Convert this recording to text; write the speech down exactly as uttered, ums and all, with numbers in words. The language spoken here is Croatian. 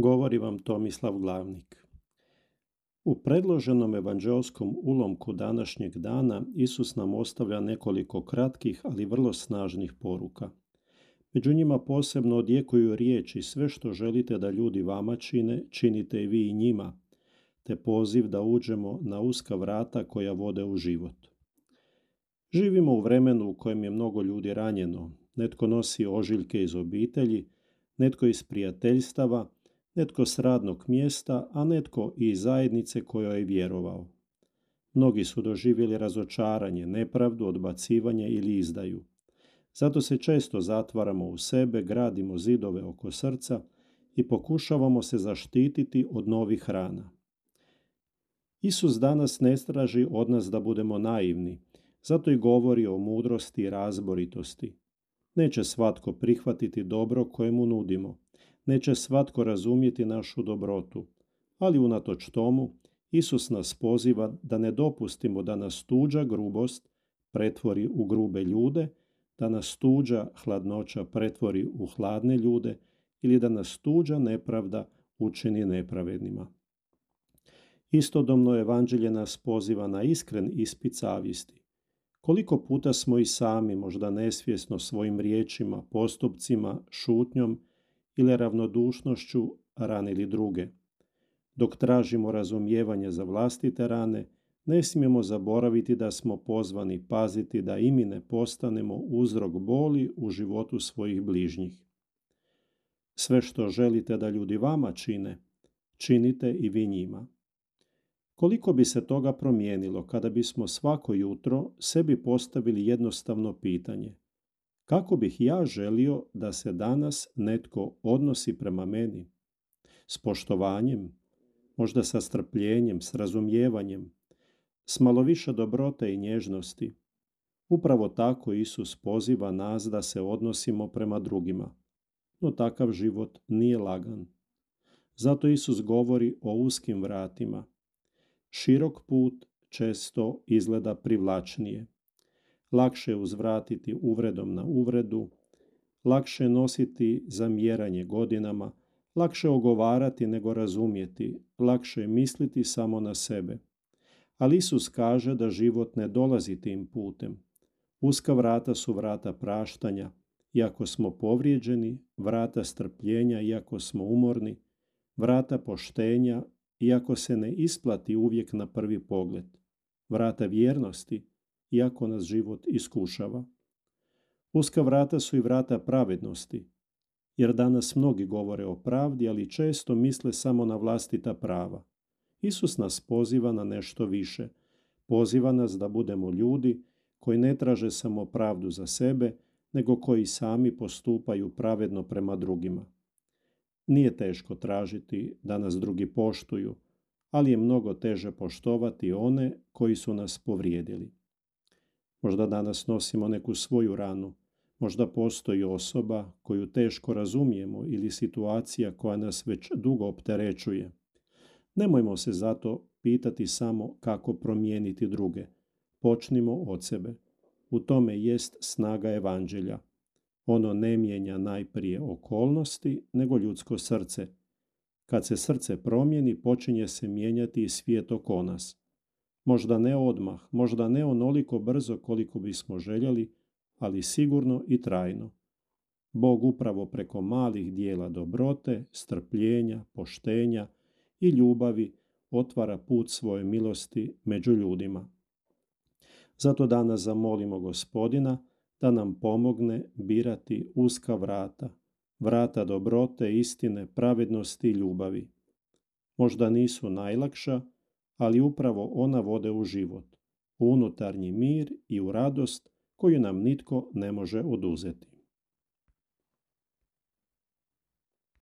Govori vam Tomislav Glavnik. U predloženom evanđeoskom ulomku današnjeg dana Isus nam ostavlja nekoliko kratkih, ali vrlo snažnih poruka. Među njima posebno odjekuju riječi: sve što želite da ljudi vama čine, činite i vi i njima, te poziv da uđemo na uska vrata koja vode u život. Živimo u vremenu u kojem je mnogo ljudi ranjeno. Netko nosi ožiljke iz obitelji, netko iz prijateljstava, netko s radnog mjesta, a netko i iz zajednice kojoj je vjerovao. Mnogi su doživjeli razočaranje, nepravdu, odbacivanje ili izdaju. Zato se često zatvaramo u sebe, gradimo zidove oko srca i pokušavamo se zaštititi od novih rana. Isus danas ne traži od nas da budemo naivni, zato i govori o mudrosti i razboritosti. Neće svatko prihvatiti dobro koje mu nudimo. Neće svatko razumjeti našu dobrotu, ali unatoč tomu Isus nas poziva da ne dopustimo da nas tuđa grubost pretvori u grube ljude, da nas tuđa hladnoća pretvori u hladne ljude ili da nas tuđa nepravda učini nepravednima. Istodobno evanđelje nas poziva na iskren ispit savjesti. Koliko puta smo i sami, možda nesvjesno, svojim riječima, postupcima, šutnjom ili ravnodušnošću ranili druge. Dok tražimo razumijevanje za vlastite rane, ne smijemo zaboraviti da smo pozvani paziti da i mi ne postanemo uzrok boli u životu svojih bližnjih. Sve što želite da ljudi vama čine, činite i vi njima. Koliko bi se toga promijenilo kada bismo svako jutro sebi postavili jednostavno pitanje: kako bih ja želio da se danas netko odnosi prema meni? S poštovanjem, možda sa strpljenjem, s razumijevanjem, s malo više dobrote i nježnosti. Upravo tako Isus poziva nas da se odnosimo prema drugima. No takav život nije lagan. Zato Isus govori o uskim vratima. Širok put često izgleda privlačnije. Lakše je uzvratiti uvredom na uvredu, lakše je nositi zamjeranje godinama, lakše ogovarati nego razumjeti, lakše je misliti samo na sebe. Ali Isus kaže da život ne dolazi tim putem. Uska vrata su vrata praštanja, iako smo povrijeđeni, vrata strpljenja, iako smo umorni, vrata poštenja, iako se ne isplati uvijek na prvi pogled, vrata vjernosti, iako nas život iskušava. Uska vrata su i vrata pravednosti, jer danas mnogi govore o pravdi, ali često misle samo na vlastita prava. Isus nas poziva na nešto više. Poziva nas da budemo ljudi koji ne traže samo pravdu za sebe, nego koji sami postupaju pravedno prema drugima. Nije teško tražiti da nas drugi poštuju, ali je mnogo teže poštovati one koji su nas povrijedili. Možda danas nosimo neku svoju ranu, možda postoji osoba koju teško razumijemo ili situacija koja nas već dugo opterećuje. Nemojmo se zato pitati samo kako promijeniti druge. Počnimo od sebe. U tome jest snaga evanđelja. Ono ne mijenja najprije okolnosti, nego ljudsko srce. Kad se srce promijeni, počinje se mijenjati i svijet oko nas. Možda ne odmah, možda ne onoliko brzo koliko bismo željeli, ali sigurno i trajno. Bog upravo preko malih dijela dobrote, strpljenja, poštenja i ljubavi otvara put svoje milosti među ljudima. Zato danas zamolimo Gospodina da nam pomogne birati uska vrata, vrata dobrote, istine, pravednosti i ljubavi. Možda nisu najlakša, ali upravo ona vode u život, u unutarnji mir i u radost koju nam nitko ne može oduzeti.